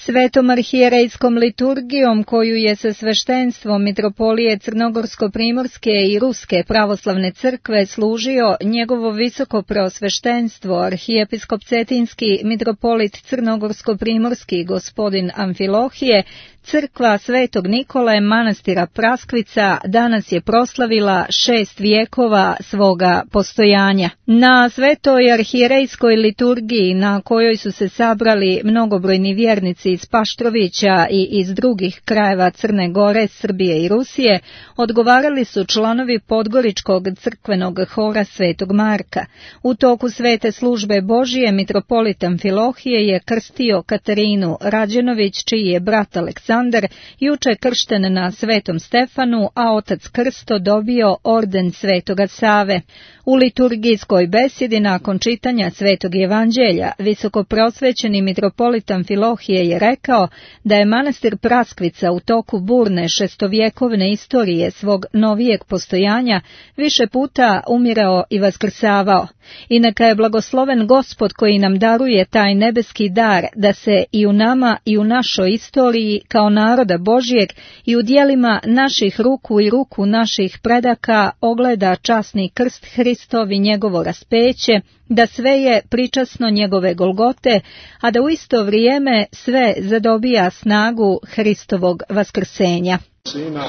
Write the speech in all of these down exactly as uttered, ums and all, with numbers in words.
Svetom arhijerejskom liturgijom koju je sa sveštenstvom Mitropolije Crnogorsko-primorske i Ruske pravoslavne crkve služio njegovo visoko preosveštenstvo arhijepiskop Cetinski mitropolit Crnogorsko-primorski gospodin Amfilohije, crkva Svetog Nikole manastira Praskvica danas je proslavila šest vijekova svoga postojanja. Na svetoj arhijerejskoj liturgiji na kojoj su se sabrali mnogobrojni vjernici iz Paštrovića i iz drugih krajeva Crne Gore, Srbije i Rusije, odgovarali su članovi Podgoričkog crkvenog hora Svetog Marka. U toku svete službe Božije mitropolit Amfilohije je krstio Katarinu Rađenović, čiji je brat Aleksandar juče kršten na Svetom Stefanu, a otac Krsto dobio orden Svetoga Save. U liturgijskoj besjedi nakon čitanja Svetog Evanđelja visokoprosvećeni mitropolit Amfilohije je rekao da je manastir Praskvica u toku burne šestovjekovne istorije svog novijeg postojanja više puta umirao i vaskrsavao. I neka je blagosloven Gospod koji nam daruje taj nebeski dar da se i u nama i u našoj istoriji kao naroda Božijeg i u djelima naših ruku i ruku naših predaka ogleda časni krst Hristov i njegovo raspeće, da sve je pričasno njegove Golgote, a da u isto vrijeme sve zadobija snagu Hristovog vaskrsenja. Sina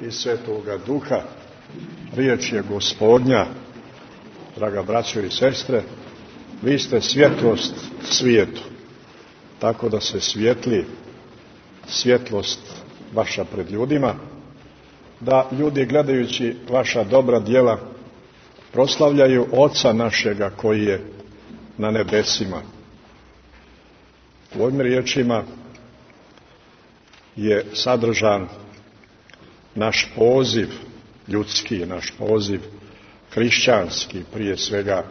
i Svetoga Duha, riječ je Gospodnja, draga braćo i sestre, vi ste svjetlost svijetu, tako da se svijetli svjetlost vaša pred ljudima, da ljudi gledajući vaša dobra djela proslavljaju Oca našega koji je na nebesima. U ovim riječima je sadržan naš poziv ljudski, naš poziv hrišćanski, prije svega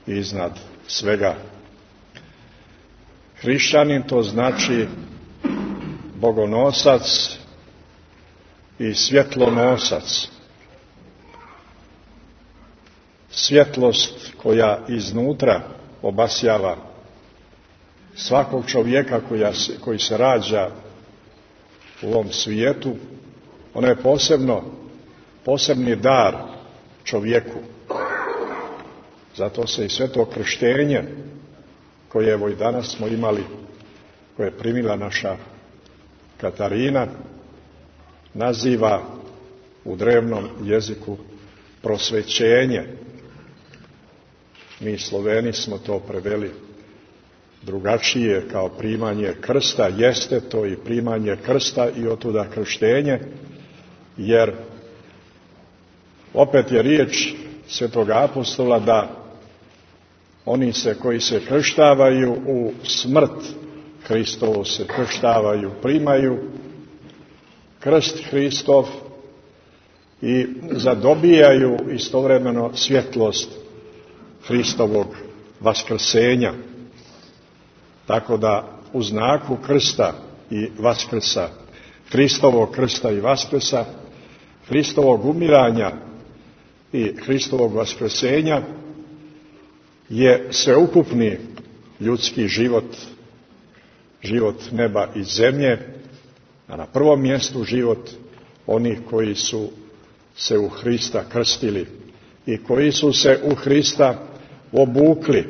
i iznad svega. Hrišćanin to znači bogonosac i svjetlonosac. Svjetlost koja iznutra obasjava svakog čovjeka koja se, koji se rađa u ovom svijetu, ono je posebno, posebni dar čovjeku. Zato se i sveto krštenje, koje evo i danas smo imali, koje je primila naša Katarina, naziva u drevnom jeziku prosvećenje. Mi Sloveni smo to preveli drugačije kao primanje krsta, jeste to i primanje krsta i otuda krštenje, jer opet je riječ Svetoga apostola da oni se koji se krštavaju u smrt Hristovu se krštavaju, primaju krst Hristov i zadobijaju istovremeno svjetlost Hristovog vaskrsenja. Tako da u znaku krsta i vaskrsa, Hristovog krsta i vaskrsa, Hristovog umiranja i Hristovog vaskrsenja je sveukupni ljudski život, život neba i zemlje, a na prvom mjestu život onih koji su se u Hrista krstili i koji su se u Hrista obukli,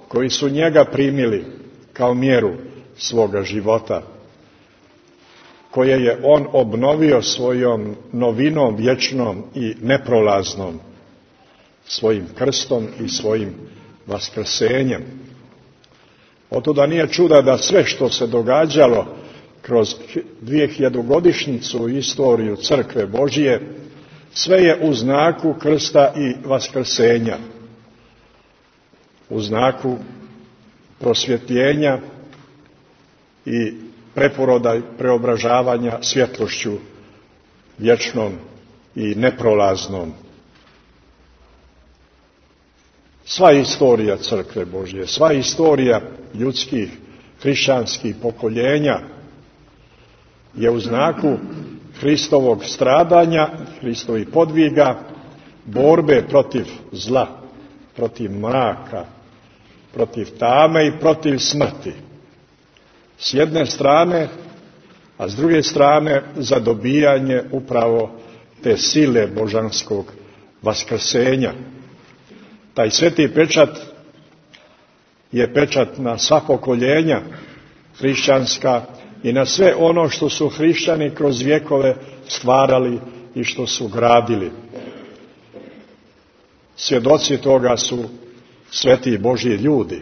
koji su njega primili kao mjeru svoga života, koje je on obnovio svojom novinom vječnom i neprolaznom, svojim krstom i svojim vaskrsenjem. Otuda nije čuda da sve što se događalo kroz dvijehiljadugodišnjicu istoriju Crkve Božije, sve je u znaku krsta i vaskrsenja, u znaku prosvjetljenja i preporoda i preobražavanja svjetlošću vječnom i neprolaznom. Sva istorija Crkve Božje, sva istorija ljudskih hrišćanskih pokoljenja je u znaku Hristovog stradanja, Hristovih podviga, borbe protiv zla, protiv mraka, protiv tame i protiv smrti. s jedne strane, a s druge strane za dobijanje upravo te sile božanskog vaskrsenja. Taj sveti pečat je pečat na sva pokoljenja hrišćanska i na sve ono što su hrišćani kroz vjekove stvarali i što su gradili. Svjedoci toga su sveti Božji ljudi,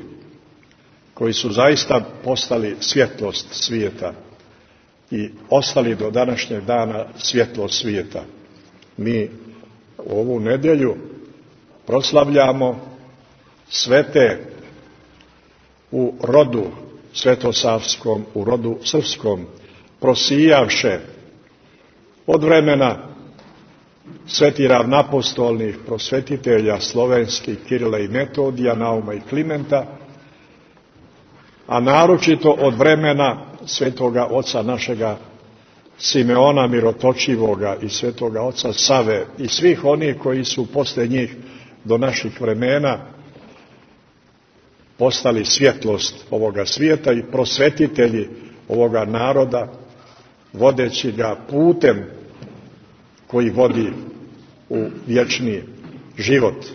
koji su zaista postali svjetlost svijeta i ostali do današnjeg dana svjetlost svijeta. Mi ovu nedjelju proslavljamo svete u rodu svetosavskom, u rodu srpskom, prosijavše od vremena sveti ravnapostolnih prosvetitelja slovenskih Kirila i Metodija, Nauma i Klimenta, a naročito od vremena svetoga oca našega Simeona Mirotočivoga i svetoga oca Save i svih onih koji su posle njih do naših vremena postali svjetlost ovoga svijeta i prosvetitelji ovoga naroda, vodeći ga putem koji vodi u vječni život.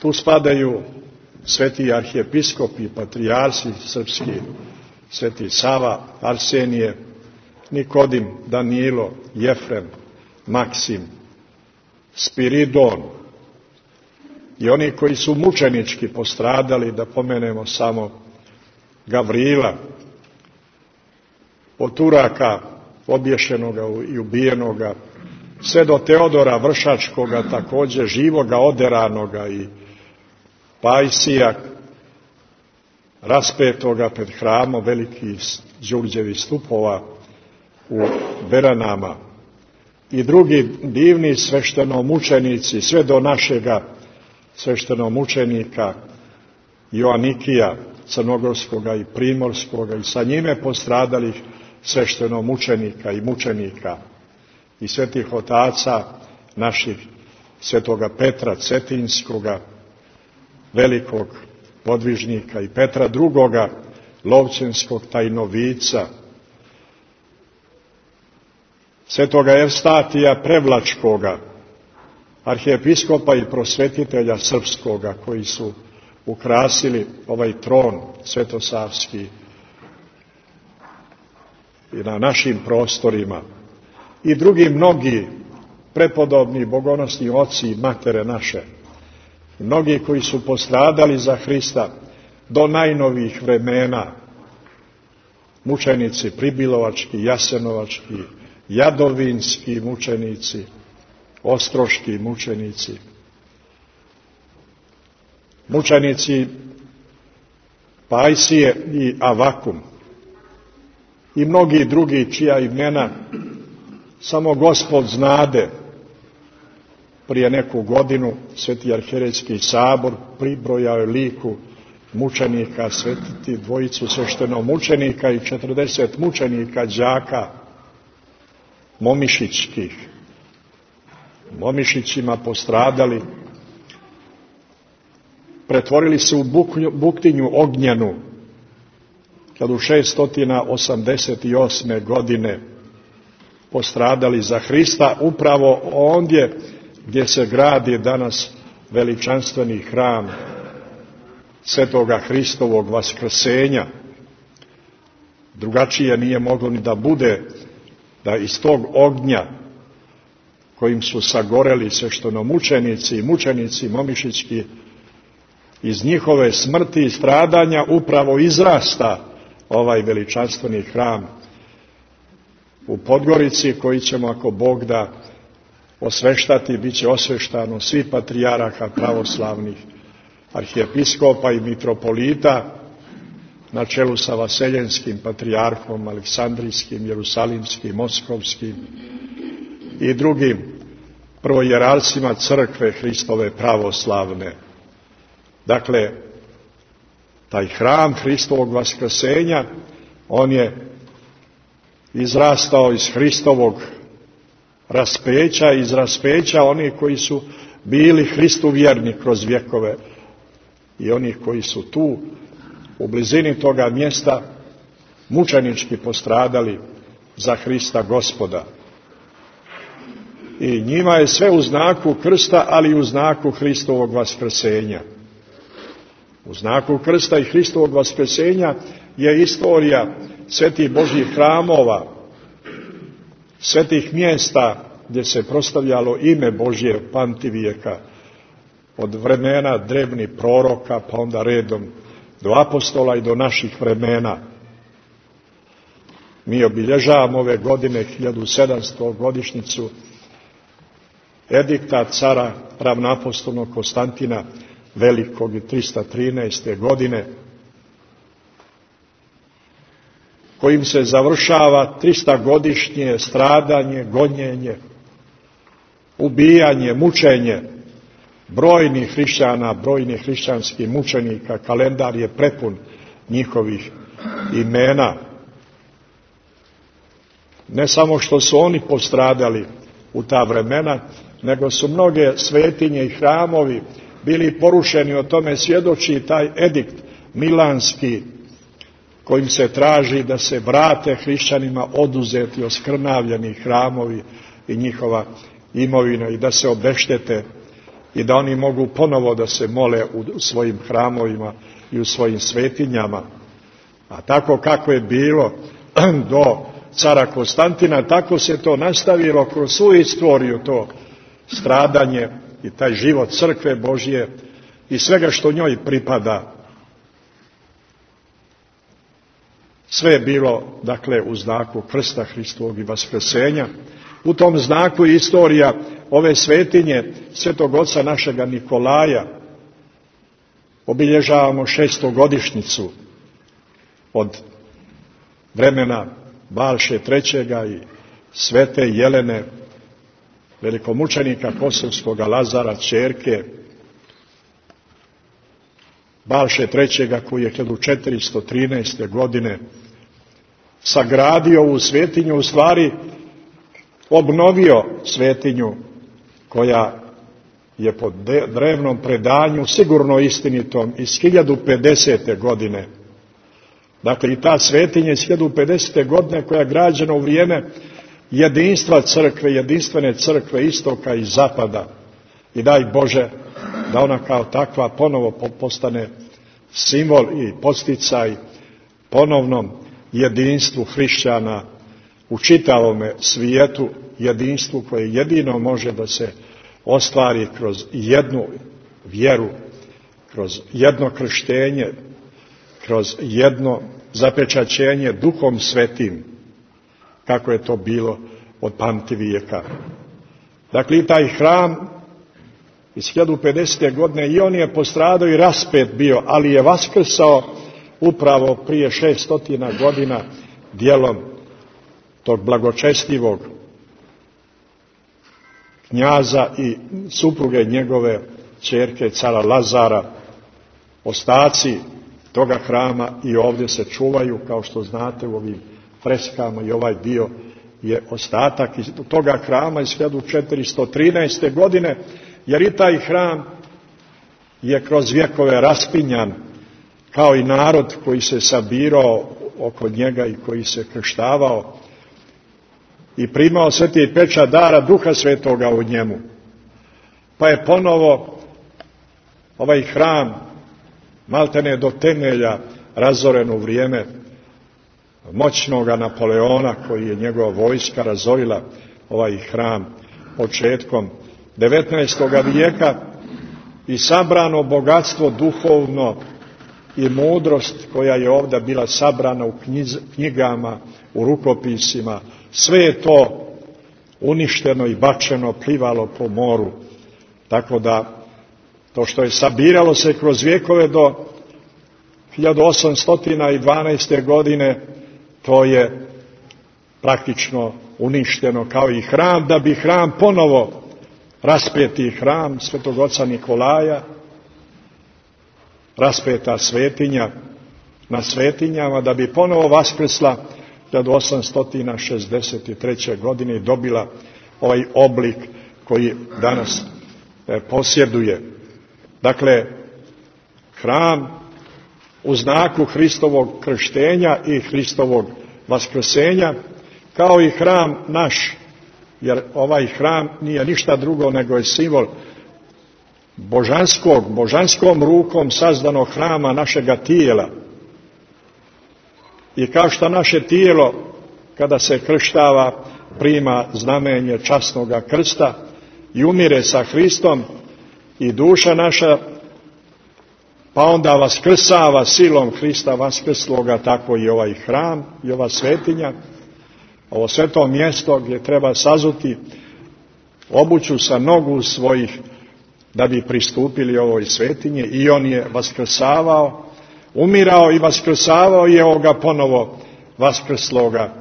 Tu spadaju sveti arhijepiskopi, patrijarsi srpski, sveti Sava, Arsenije, Nikodim, Danilo, Jefrem, Maksim, Spiridon i oni koji su mučenički postradali, da pomenemo samo Gavrila, od Turaka obješenoga i ubijenoga, sve do Teodora Vršačkoga, također živoga, oderanoga, i Pajsija, raspetoga pred hramom velikih Đurđevih stupova u Beranama, i drugi divni sveštenomučenici, sve do našega sveštenomučenika Joanikija crnogorskoga i primorskoga i sa njime postradalih sveštenomučenika i mučenika i svetih otaca naših, svetoga Petra Cetinskoga, velikog podvižnika, i Petra drugoga, lovćenskog tajnovica, svetoga Evstatija Prevlačkoga, arhijepiskopa i prosvetitelja srpskoga, koji su ukrasili ovaj tron svetosavski i na našim prostorima, i drugi mnogi prepodobni bogonosni oci i matere naše, mnogi koji su postradali za Hrista do najnovijih vremena, mučenici pribilovački, jasenovački, jadovinski mučenici, ostroški mučenici, mučenici Pajsije i Avakum i mnogi drugi čija imena samo Gospod znade. Prije neku godinu Sveti arhijerejski sabor pribrojao je liku mučenika, svetiti dvojicu sveštenomučenika i četrdeset mučenika đaka momišićkih, momišićima postradali, pretvorili se u buktinju ognjenu kad u šesto osamdeset osme godine postradali za Hrista, upravo ondje gdje se gradi danas veličanstveni hram svetoga Hristovog vaskrsenja. Drugačije nije moglo ni da bude, da iz tog ognja kojim su sagoreli sveštenomučenici i mučenici momišićki, iz njihove smrti i stradanja upravo izrasta ovaj veličanstveni hram u Podgorici, koji ćemo, ako Bog da, osveštati. Bit će osveštano svi patrijaraha pravoslavnih, arhijepiskopa i mitropolita, na čelu sa Vaseljenskim patrijarhom, Aleksandrijskim, Jerusalimskim, Moskovskim i drugim prvojerarcima crkve Hristove pravoslavne. Dakle, taj hram Hristovog vaskrsenja, on je izrastao iz Hristovog raspeća, iz raspeća onih koji su bili Hristu vjerni kroz vjekove i onih koji su tu u blizini toga mjesta mučenički postradali za Hrista Gospoda. I njima je sve u znaku krsta, ali i u znaku Hristovog vaskrsenja. U znaku krsta i Hristovog vaskrsenja je istorija svetih Božjih hramova, svetih mjesta gdje se proslavljalo ime Božje pamtivijeka, od vremena drevnih proroka, pa onda redom do apostola i do naših vremena. Mi obilježavamo ove godine hiljadu sedamstu godišnjicu edikta cara ravnoapostolnog Konstantina Velikog i trista trinaeste. godine, kojim se završava tristagodišnje stradanje, gonjenje, ubijanje, mučenje brojnih hrišćana, brojnih hrišćanskih mučenika. Kalendar je prepun njihovih imena. Ne samo što su oni postradali u ta vremena, nego su mnoge svetinje i hramovi bili porušeni. O tome svjedoči taj edikt milanski, kojim se traži da se vrate hrišćanima oduzeti, oskrnavljeni hramovi i njihova imovina i da se obeštete i da oni mogu ponovo da se mole u svojim hramovima i u svojim svetinjama. A tako kako je bilo do cara Konstantina, tako se to nastavilo kroz svu istoriju, to stradanje i taj život crkve Božje i svega što njoj pripada. Sve je bilo, dakle, u znaku krsta Hristovog i vaskrsenja. U tom znaku je istorija ove svetinje svetog oca našega Nikolaja. Obilježavamo šestogodišnjicu od vremena Balše trećega i svete Jelene, velikomučenika kosovskoga Lazara, ćerke Balše trećega, koji je hiljadu četiristo trinaeste. godine sagradio ovu svetinju, u stvari obnovio svetinju koja je po drevnom predanju, sigurno istinitom, iz hiljadu pedesete. godine. Dakle, i ta svetinja iz hiljadu pedesete. godine koja je građena u vrijeme jedinstva crkve, jedinstvene crkve istoka i zapada. I daj Bože da ona kao takva ponovo postane simbol i podsticaj ponovnom jedinstvu hrišćana u čitavome svijetu, jedinstvu koje jedino može da se ostvari kroz jednu vjeru, kroz jedno krštenje, kroz jedno zapečaćenje Duhom Svetim, kako je to bilo od pamtivijeka. Dakle, i taj hram iz hiljadu pedesete. godine i on je postradao i raspet bio, ali je vaskrsao upravo prije šeststotina godina djelom tog blagočestivog knjaza i supruge njegove ćerke cara Lazara. Ostaci toga hrama i ovdje se čuvaju, kao što znate, u ovim freskama, i ovaj dio je ostatak iz toga hrama iz hiljadu četiristo trinaeste. godine, jer i taj hram je kroz vjekove raspinjan, kao i narod koji se sabirao oko njega i koji se krštavao i primao sveti pečat dara Duha Svetoga u njemu. Pa je ponovo ovaj hram maltene do temelja razoren u vrijeme moćnoga Napoleona, koji je njegova vojska razorila ovaj hram početkom devetnaestoga. vijeka i sabrano bogatstvo duhovno i mudrost koja je ovdje bila sabrana u knjigama, u rukopisima, sve je to uništeno i bačeno, plivalo po moru. Tako da to što je sabiralo se kroz vjekove do hiljadu osamsto dvanaeste. godine, to je praktično uništeno kao i hram, da bi hram ponovo, raspeti hram svetog oca Nikolaja, raspeta svetinja na svetinjama, da bi ponovo vaskrsla hiljadu osamsto šezdeset treće. godine i dobila ovaj oblik koji danas posjeduje. Dakle, hram u znaku Hristovog krštenja i Hristovog vaskrsenja, kao i hram naš, jer ovaj hram nije ništa drugo nego je simbol božanskog, božanskom rukom sazdanog hrama našega tijela. I kao što naše tijelo, kada se krštava, prima znamenje časnoga krsta i umire sa Hristom, i duša naša pa onda vaskrsava silom Hrista vaskrsloga, tako i ovaj hram i ova svetinja, ovo sveto mjesto gdje treba sazuti obuću sa nogu svojih da bi pristupili ovoj svetinji, i on je vaskrsavao, umirao i vaskrsavao, i evo ga ponovo vaskrsloga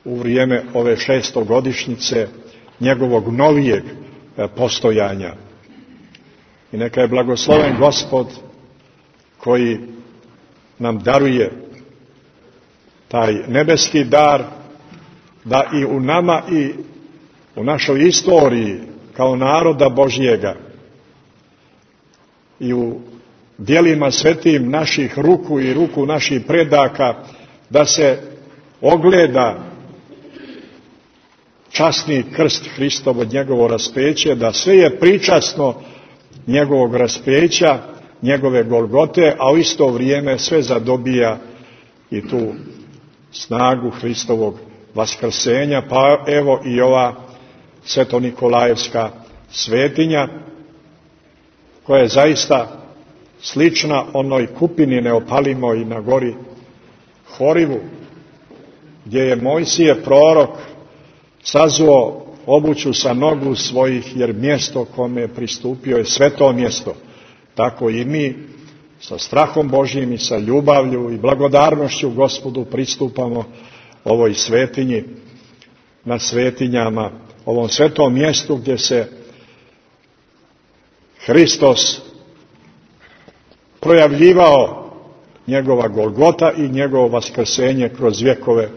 u vrijeme ove šestogodišnjice njegovog novijeg postojanja. I neka je blagosloven Gospod koji nam daruje taj nebeski dar, da i u nama i u našoj istoriji kao naroda Božjega i u djelima svetim naših ruku i ruku naših predaka, da se ogleda časni krst Hristov od njegovo raspeće, da sve je pričasno njegovog raspeća, njegove Golgote, a u isto vrijeme sve zadobija i tu snagu Hristovog vaskrsenja, pa evo i ova Sveto-Nikolajevska svetinja, koja je zaista slična onoj kupini neopalimoj na gori Horivu, gdje je Mojsije prorok sazuo obuću sa nogu svojih, jer mjesto kome je pristupio je sveto mjesto. Tako i mi sa strahom Božjim i sa ljubavlju i blagodarnošću Gospodu pristupamo ovoj svetinji, na svetinjama, ovom svetom mjestu gdje se Hristos projavljivao, njegova Golgota i njegovo vaskrsenje kroz vjekove.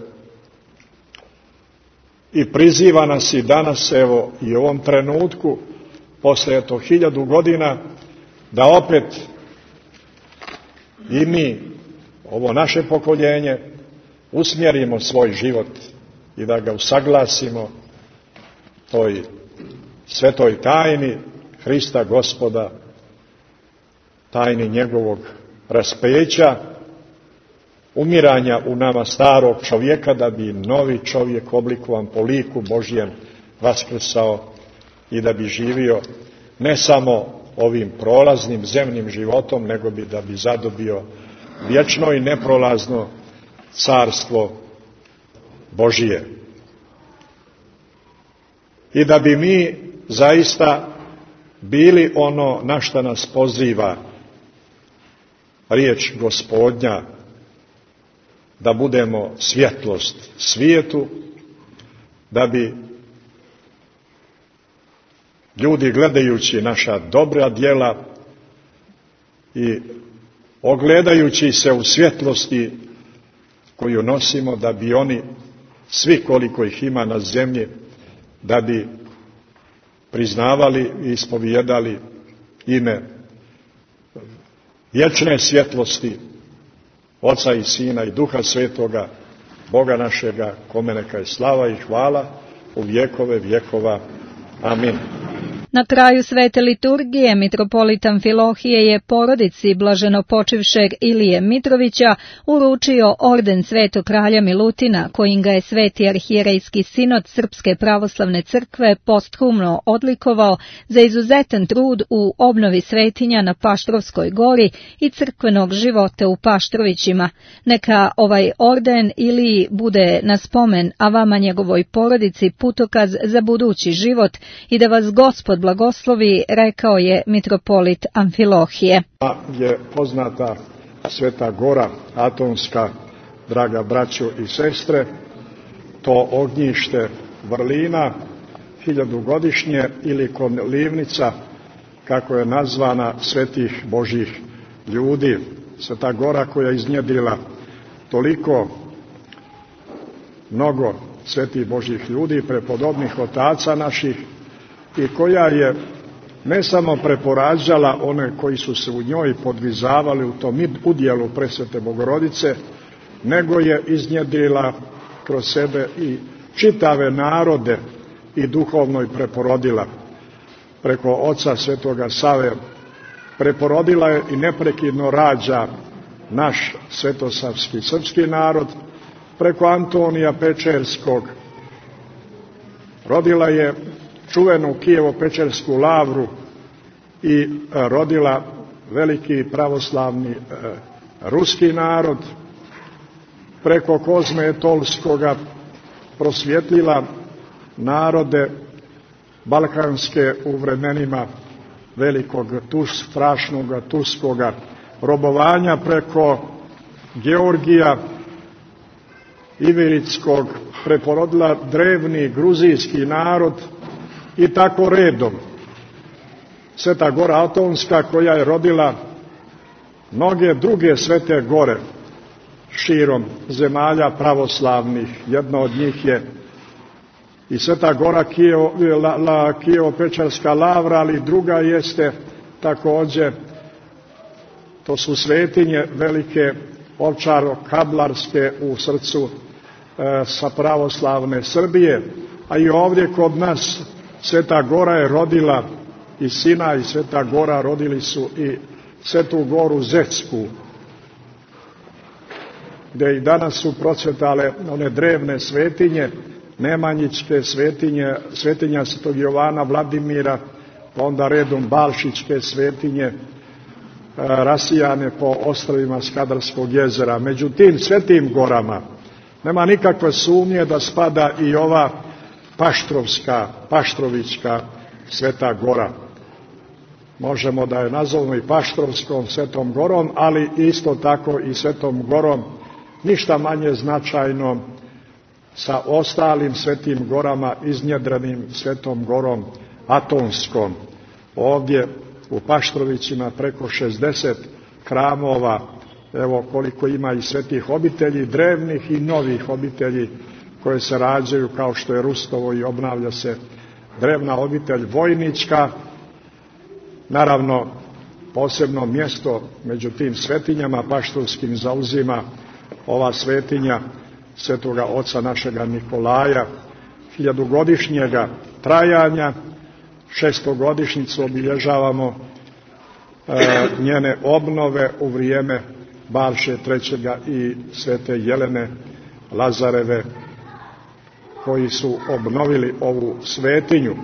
I priziva nas i danas, evo i u ovom trenutku, posle eto hiljadu godina, da opet i mi, ovo naše pokoljenje, usmjerimo svoj život i da ga usaglasimo toj svetoj tajni Hrista Gospoda, tajni njegovog raspeća, umiranja u nama starog čovjeka, da bi novi čovjek oblikovan po liku Božjem vaskrsao i da bi živio ne samo ovim prolaznim zemnim životom, nego bi da bi zadobio vječno i neprolazno carstvo Božije. I da bi mi zaista bili ono na što nas poziva riječ Gospodnja, da budemo svjetlost svijetu, da bi ljudi, gledajući naša dobra djela i ogledajući se u svjetlosti koju nosimo, da bi oni, svi koliko ih ima na zemlji, da bi priznavali i ispovijedali ime vječne svjetlosti Oca i Sina i Duha Svetoga, Boga našega, kome neka je slava i hvala u vjekove vjekova. Amin. Na kraju svete liturgije mitropolit Amfilohije je porodici blaženopočivšeg Ilije Mitrovića uručio orden Svetog kralja Milutina, kojim ga je Sveti arhijerejski sinod Srpske pravoslavne crkve posthumno odlikovao za izuzetan trud u obnovi svetinja na Paštrovskoj gori i crkvenog života u Paštrovićima. Neka ovaj orden Iliji bude na spomen, a vama njegovoj porodici putokaz za budući život, i da vas Gospod blagoslovi, rekao je mitropolit Amfilohije. Je poznata Sveta Gora Atonska, draga braćo i sestre, to ognjište vrlina, hiljadugodišnje, ili kolivnica, kako je nazvana, svetih Božjih ljudi. Sveta Gora koja je iznjedrila toliko mnogo svetih Božjih ljudi, prepodobnih otaca naših, i koja je ne samo preporađala one koji su se u njoj podvizavali u tom udjelu presvete Bogorodice, nego je iznjedrila kroz sebe i čitave narode i duhovno ih preporodila. Preko oca svetoga Save preporodila je i neprekidno rađa naš svetosavski srpski narod, preko Antonija Pečerskog rodila je čuvenu Kijevo-Pečersku lavru i rodila veliki pravoslavni ruski narod, preko Kozme Etolskoga prosvjetlila narode balkanske u vremenima velikog tus, strašnog turskoga robovanja, preko Georgija Iviritskog preporodila drevni gruzijski narod i tako redom. Sveta Gora Atonska koja je rodila mnoge druge svete gore širom zemalja pravoslavnih. Jedna od njih je i Sveta Gora Kijevo-Pečarska lavra, ali druga jeste također, to su svetinje velike Ovčaro-Kablarske u srcu e, sa pravoslavne Srbije, a i ovdje kod nas Sveta Gora je rodila i Sina, i Sveta Gora rodili su i Svetu Goru Zecku, gdje i danas su procvetale one drevne svetinje, nemanjičke svetinje, svetinja Svetog Jovana Vladimira, pa onda redom Balšičke svetinje, rasijane po ostrvima Skadarskog jezera. Među tim svetim gorama nema nikakve sumnje da spada i ova Paštrovska, Paštrovićka Sveta Gora. Možemo da je nazovemo i Paštrovskom Svetom Gorom, ali isto tako i Svetom Gorom, ništa manje značajno sa ostalim svetim gorama, iznjedrenim Svetom Gorom Atonskom. Ovdje u Paštrovićima preko šezdeset hramova, evo koliko ima i svetih obitelji, drevnih i novih obitelji koje se rađaju, kao što je Rustovo i obnavlja se drevna obitelj Vojnička. Naravno, posebno mjesto među tim svetinjama paštrovskim zauzima ova svetinja svetoga oca našega Nikolaja, hiljadugodišnjega trajanja. Šestogodišnjicu obilježavamo e, njene obnove u vrijeme Balše trećega i svete Jelene Lazareve, koji su obnovili ovu svetinju.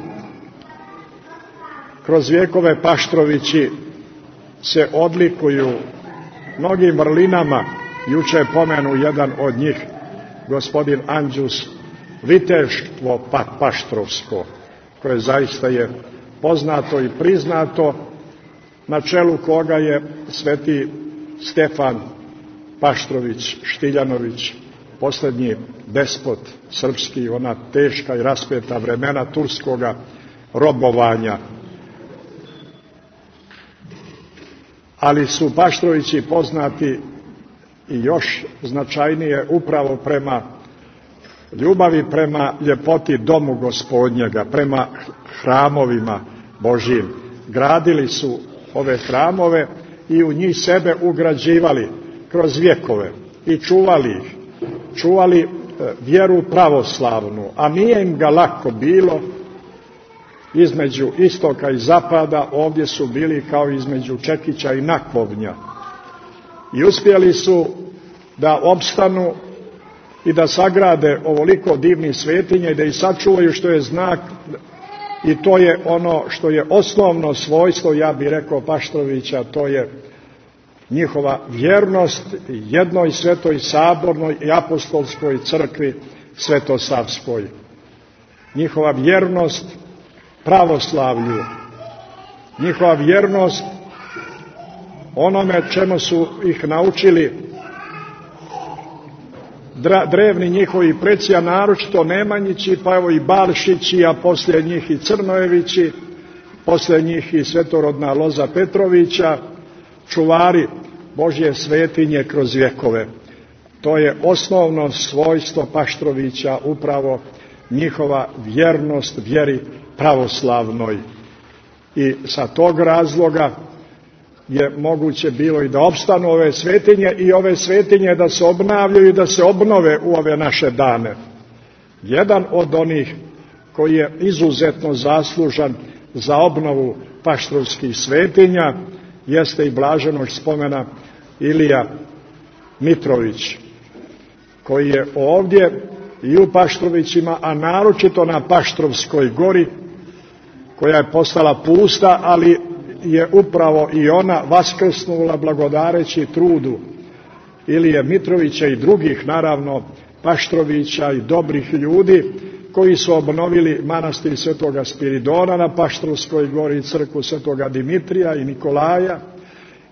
Kroz vjekove Paštrovići se odlikuju mnogim vrlinama. Juče pomenu jedan od njih, gospodin Anđus, viteštvo pa, paštrovsko, koje zaista je poznato i priznato, na čelu koga je sveti Stefan Paštrović Štiljanović, posljednji despot srpski, ona teška i raspeta vremena turskoga robovanja. Ali su Paštrovići poznati i još značajnije upravo prema ljubavi prema ljepoti domu Gospodnjega, prema hramovima Božjim. Gradili su ove hramove i u njih sebe ugrađivali kroz vjekove i čuvali ih, čuvali vjeru pravoslavnu, a nije im ga lako bilo. Između istoka i zapada ovdje su bili kao između Čekića i Nakovnja i uspjeli su da opstanu i da sagrade ovoliko divnih svetinja i da ih sačuvaju, što je znak, i to je ono što je osnovno svojstvo, ja bih rekao, Paštrovića, to je njihova vjernost jednoj svetoj sabornoj i apostolskoj crkvi svetosavskoj. Njihova vjernost pravoslavlju, njihova vjernost onome čemu su ih naučili drevni njihovi preci, a naročito Nemanjići, pa evo i Balšići, a poslije njih i Crnojevići, poslije njih i svetorodna loza Petrovića, čuvari Božje svetinje kroz vjekove. To je osnovno svojstvo Paštrovića, upravo njihova vjernost vjeri pravoslavnoj. i sa tog razloga je moguće bilo i da opstanu ove svetinje i ove svetinje da se obnavljaju i da se obnove u ove naše dane. Jedan od onih koji je izuzetno zaslužan za obnovu paštrovskih svetinja jeste i blaženog spomena Ilija Mitrović, koji je ovdje i u Paštrovićima, a naročito na Paštrovskoj gori, koja je postala pusta, ali je upravo i ona vaskrsnula blagodareći trudu Ilije Mitrovića i drugih, naravno, Paštrovića i dobrih ljudi koji su obnovili manastir Svetoga Spiridona na Paštrovskoj gori i crkvu Svetoga Dimitrija i Nikolaja,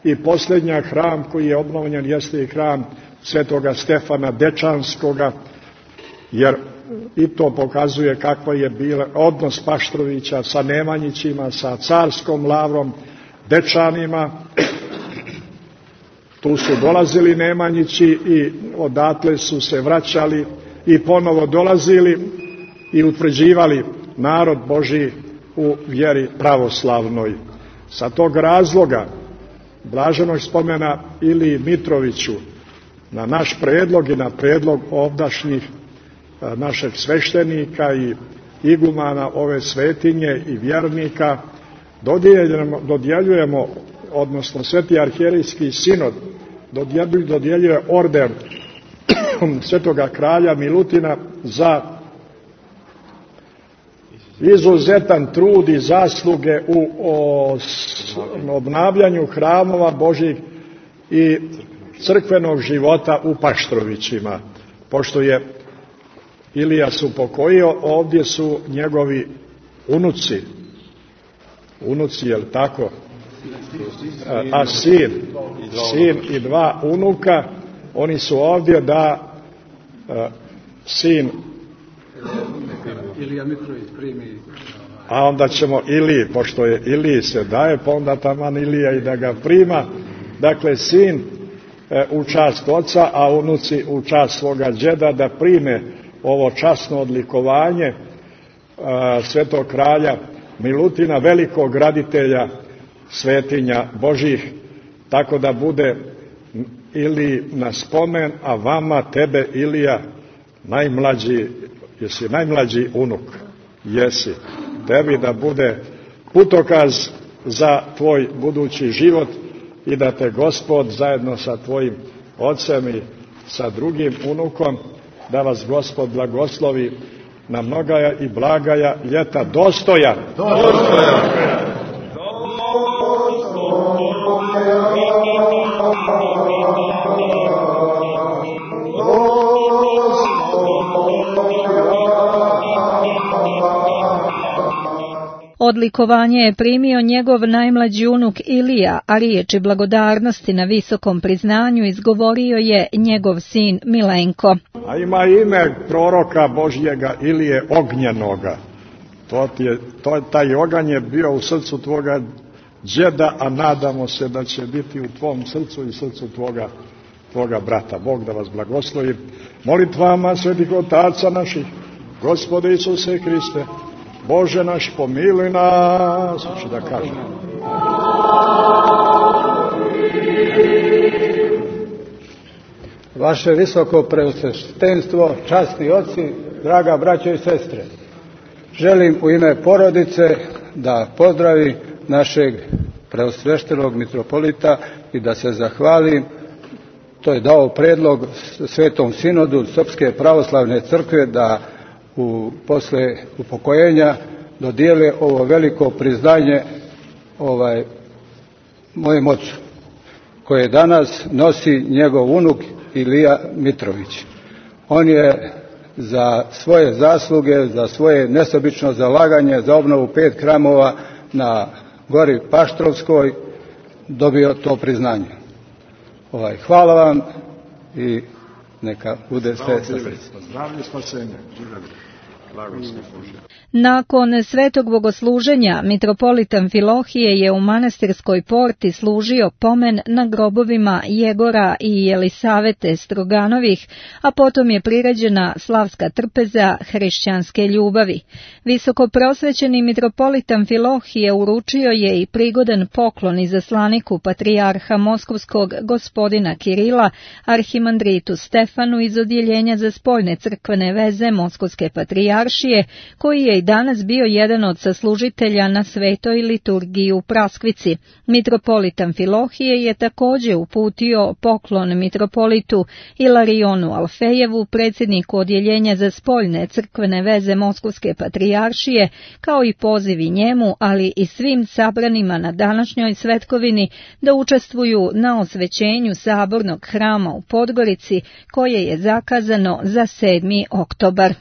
i posljednja hram koji je obnovljen jeste i hram Svetoga Stefana Dečanskoga, jer i to pokazuje kakva je bila odnos Paštrovića sa Nemanjićima, sa carskom lavrom Dečanima. Tu su dolazili Nemanjići i odatle su se vraćali i ponovo dolazili i utvrđivali narod Božji u vjeri pravoslavnoj. Sa tog razloga blaženog spomena Iliji Mitroviću na naš predlog i na predlog ovdašnjih našeg sveštenika i igumana ove svetinje i vjernika dodjeljujemo, dodjeljujemo odnosno Sveti arhijerejski sinod dodjeljuje orden Svetoga kralja Milutina za izuzetan trud i zasluge u obnavljanju hramova Božjih i crkvenog života u Paštrovićima. Pošto je Ilija se upokojio, ovdje su njegovi unuci, unuci, je li tako? A sin, sin i dva unuka, oni su ovdje da a, sin Ilija Mitrović primi. A onda ćemo Iliji, pošto je Iliji se daje, pa onda taman Ilija i da ga prima. Dakle, sin e, u čast oca, a unuci u čast svoga džeda, da prime ovo časno odlikovanje e, svetog kralja Milutina, velikog graditelja svetinja Božih, tako da bude Iliji na spomen, a vama, tebe Ilija, najmlađi, jesi najmlađi unuk, jesi, tebi da bude putokaz za tvoj budući život i da te Gospod zajedno sa tvojim ocem i sa drugim unukom, da vas Gospod blagoslovi na mnogaja i blagaja ljeta dostojan. Dostojan. Odlikovanje je primio njegov najmlađi unuk Ilija, a riječi blagodarnosti na visokom priznanju izgovorio je njegov sin Milenko. A ima ime proroka Božjega Ilije Ognjenoga. To ti je, to, taj oganj je bio u srcu tvoga džeda, a nadamo se da će biti u tvom srcu i srcu tvoga, tvoga brata. Bog da vas blagoslovi molitvama svetih otaca naših, Gospode Isuse Hriste, Bože naš, pomiluj nas, hoću da kažem. Vaše visoko preosveštenstvo, časni oci, draga braćo i sestre, želim u ime porodice da pozdravi našeg preosveštenog mitropolita i da se zahvalim. To je dao predlog Svetom sinodu Srpske pravoslavne crkve da u, posle upokojenja dodijele ovo veliko priznanje ovaj, mojem ocu, koje danas nosi njegov unuk Ilija Mitrović. On je za svoje zasluge, za svoje nesebično zalaganje za obnovu pet hramova na gori Paštrovskoj dobio to priznanje. Ovaj, hvala vam i neka bude sve sa srcem. Zdravlje, spasenje. Nakon svetog bogosluženja, mitropolit Amfilohije je u manastirskoj porti služio pomen na grobovima Jegora i Jelisavete Stroganovih, a potom je priređena slavska trpeza hrišćanske ljubavi. Visoko prosvećeni mitropolit Amfilohije uručio je i prigodan poklon izaslaniku patrijarha Moskovskog gospodina Kirila, arhimandritu Stefanu iz odjeljenja za spoljne crkvene veze Moskovske patrijaršije, koji je i danas bio jedan od saslužitelja na svetoj liturgiji u Praskvici. Mitropolit Amfilohije je također uputio poklon mitropolitu Ilarionu Alfejevu, predsjedniku odjeljenja za spoljne crkvene veze Moskovske patrijaršije, kao i pozivi njemu, ali i svim sabranima na današnjoj svetkovini da učestvuju na osvećenju sabornog hrama u Podgorici, koje je zakazano za sedmi oktobar.